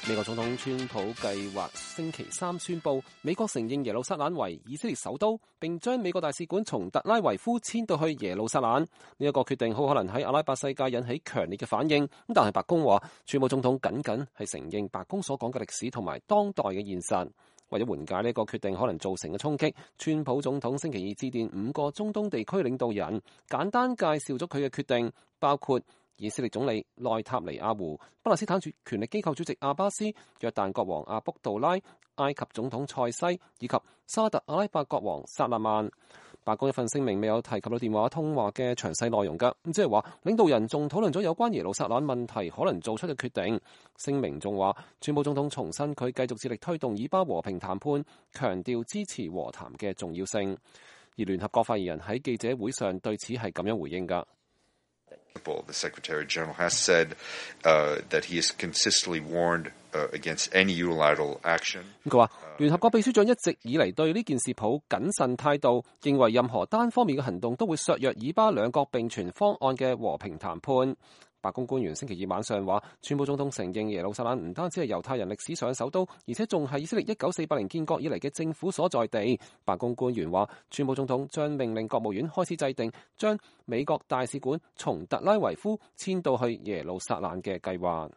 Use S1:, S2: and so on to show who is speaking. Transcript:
S1: 美國總統川普計劃星期三宣布，美國承認耶路撒冷為以色列首都，並將美國大使館從特拉維夫遷到去耶路撒冷。呢一個決定好可能喺阿拉伯世界引起強烈嘅反應。但係白宮話，川普總統僅僅係承認白宮所講嘅歷史同埋當代嘅現實。為咗緩解呢個決定可能造成嘅衝擊，川普總統星期二致電5個中東地區領導人，簡單介紹咗佢嘅決定，包括以色列總理內塔尼亞胡、巴勒斯坦權力機構主席阿巴斯、約旦國王阿卜杜拉、埃及總統塞西以及沙特阿拉伯國王薩勒曼。白宮一份聲明未有提及到電話通話嘅詳細內容㗎，即係話領導人仲討論咗有關耶路撒冷問題可能做出嘅決定。聲明仲話，川普總統重申佢繼續致力推動以巴和平談判，強調支持和談嘅重要性。而聯合國發言人喺記者會上對此係咁樣回應㗎。
S2: The Secretary General has said that he has consistently warned against any unilateral action.
S1: 佢話，聯合國秘書長一直以嚟對呢件事抱謹慎態度，認為任何單方面嘅行動都會削弱以巴兩國並存方案嘅和平談判。白宮官員星期二晚上話，川普總統承認耶路撒冷唔單止係猶太人歷史上嘅首都，而且仲係以色列1948年建國以嚟嘅政府所在地。白宮官員話，川普總統將命令國務院開始制定將美國大使館從特拉維夫遷到去耶路撒冷嘅計劃。